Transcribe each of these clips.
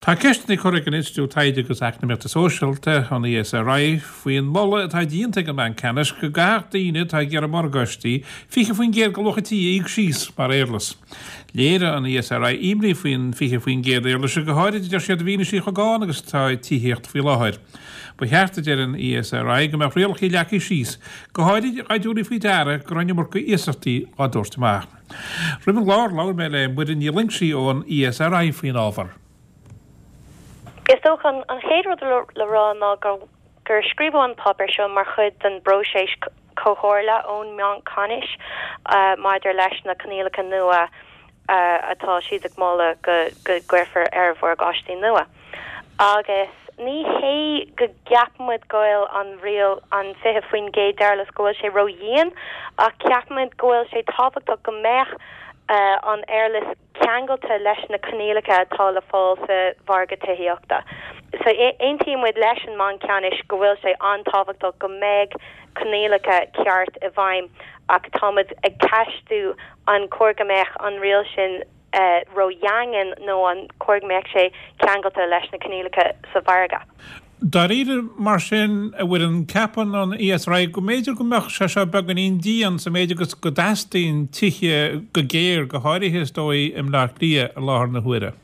Tá ceisteanna curtha ag an Institiúid Taighde agus Eacnamaíochta Sóisialta, an ESRI, faoin moladh atá déanta ag an mBanc Ceannais go gcaithfeadh daoine atá ag iarraidh morgáistí 20% de luach an tí a íoc síos mar éarlais. Léirigh an ESRI imní faoin 20% éarlaise, go háirid, a deir siad, i bhfianaise chomh gann agus atá tithíocht faoi láthair. Ba cheart, a deir an ESRI, go mbeadh rialacha leagtha síos, go háirid dá dtabharfaí faoi deara go raibh an iomarca iasachtaí á dtabhairt amach. Roimh an gclár, labhair mé le Muireann Ní Loingsigh ón ESRI faoin ábhar. Is dócha an chéad rud le rá ná gur scríobhadh an páipéar seo mar chuid den bpróiseas comhairle ón mBanc Ceannais maidir leis na coinníollacha nua atá siad ag moladh go gcuirfear ar mhorgáistí nua. Agus ní hé go gceapaimid go bhfuil an riail, an 20% d'éarlais, go bhfuil sé ró-dhian, ach ceapaimid go bhfuil sé tábhachtach go mbeadh an éarlais ceangailte leis na coinníollacha atá le fáil sa mhargadh tithíochta. So aontaímid leis an mBanc Ceannais go bhfuil sé an-tábhachtach go mbeadh coinníollacha ceart i bhfeidhm ach táimid ag ceistiú an cóir go mbeadh an riail sin ró-dhaingean nó an cóir go mbeadh sé ceangailte leis na coinníollacha sa mhargadh. Dáiríre, mar sin, a Mhuireann, ceapann an ESRI go mb'fhéidir go mbeadh sé seo beagáinín dian sa méid agus go dteastaíonn tithe go géar, go háirithe, is dóigh, i mBleá Cliath i láthair na huaire.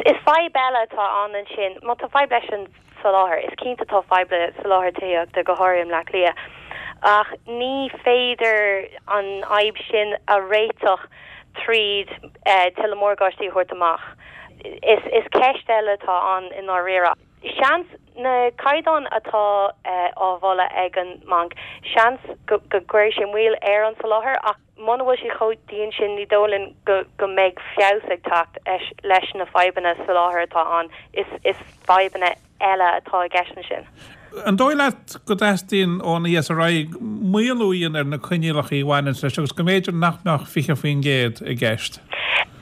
Is fadhb eile atá ann ansin, má tá fadhb leis an soláthar. Is cinnte tá fadhb le soláthar tithíochta, go háirithe i mBleá Cliath, ach ní féidir an fhadhb sin a réiteach tríd tuilleadh morgáistí a thabhairt amach. Is ceist eile atá ann i ndáiríre. Seans, na caighdeáin atá á mholadh ag an mbanc, seans go gcuirfidh sé moill ar an soláthar ach muna bhfuil sé chomh dian sin ní dóigh linn go mbeidh feabhas ag teacht leis na fadhbanna soláthair atá ann. Is fadhbanna eile atá i gceist ansin. An dóigh leat go dteastaíonn ón ESRI maolú a dhéanamh ar na coinníollacha a bhaineanns leis agus go mb'fhéidir nach mbeadh 20% i gceist?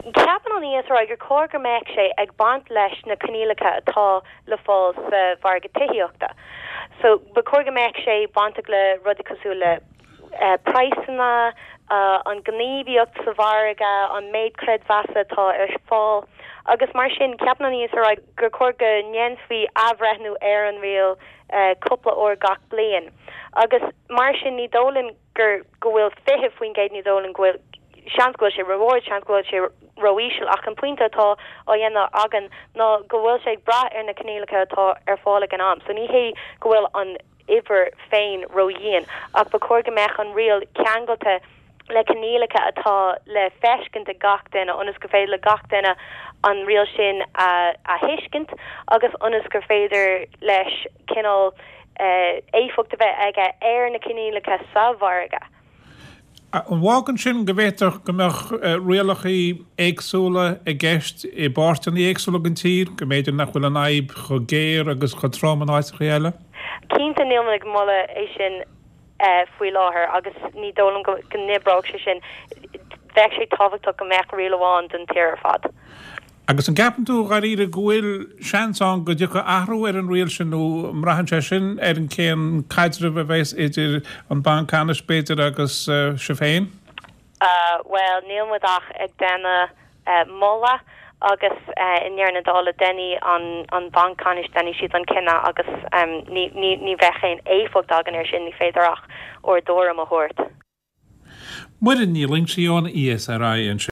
Ceapann an ESRI gur chóir go mbeadh sé ag baint leis na coinníollacha atá le fáil sa mhargadh tithíochta. So ba chóir go mbeadh sé bainteach le rudaí cosúil le praghsanna, an ghníomhaíocht sa mhargadh, an méid creidmheasa atá ar fáil agus mar sin ceapann an ESRI gur chóir go ndéanfaí athbhreithniú ar an riail cúpla uair gach bliain agus mar sin ní dóigh linn gur go bhfuil 20% ní dóigh linn go bhfuil seans go bhfuil sé ró-ard, seans go bhfuil sé ró-íseal ach an pointe atá á dhéanamh againn ná go bhfuil sé ag brath ar na coinníollacha atá ar fáil ag an am so ní hé go bhfuil an uimhir féin ródhian, ach ba chóir go mbeadh an riail ceangailte le coinníollacha atá le feiscint ag gach duine ionas gur féidir le gach duine an riail sin a thuiscint agus ionas gur féidir leis cineál éifeacht a bheith aige ar na coinníollacha sa mhargadh. An bhfágann sin go bhféadfadh go mbeadh rialacha éagsúla i gceist i bpáirteanna éagsúla den tír, go mb'fhéidir nach bhfuil an fhadhb chomh géar agus chomh trom in áiteacha eile? Cinnte níl muid ag moladh é sin faoi láthair agus ní dóigh liom go n-oibreodh sé sin. Bheadh sé tábhachtach go mbeadh riail amháin don tír ar fad. Agus an gceapann tú, dháiríre, go bhfuil seans ann go dtiocfaidh athrú ar an riail sin nó an mbraitheann sé sin ar an cén caidreamh a bheas idir an Banc Ceannais, b'fhéidir, agus sibh féin? Bhuel, níl muid ach ag déanamh moladh agus i ndeireadh na dála déanfaidh an Banc Ceannais, déanfaidh siad an cinneadh agus ní bheadh aon éifeacht againn air sin, ní féidir ach ár dtuairim a thabhairt. Muireann Ní Loingsigh ón ESRI ansin.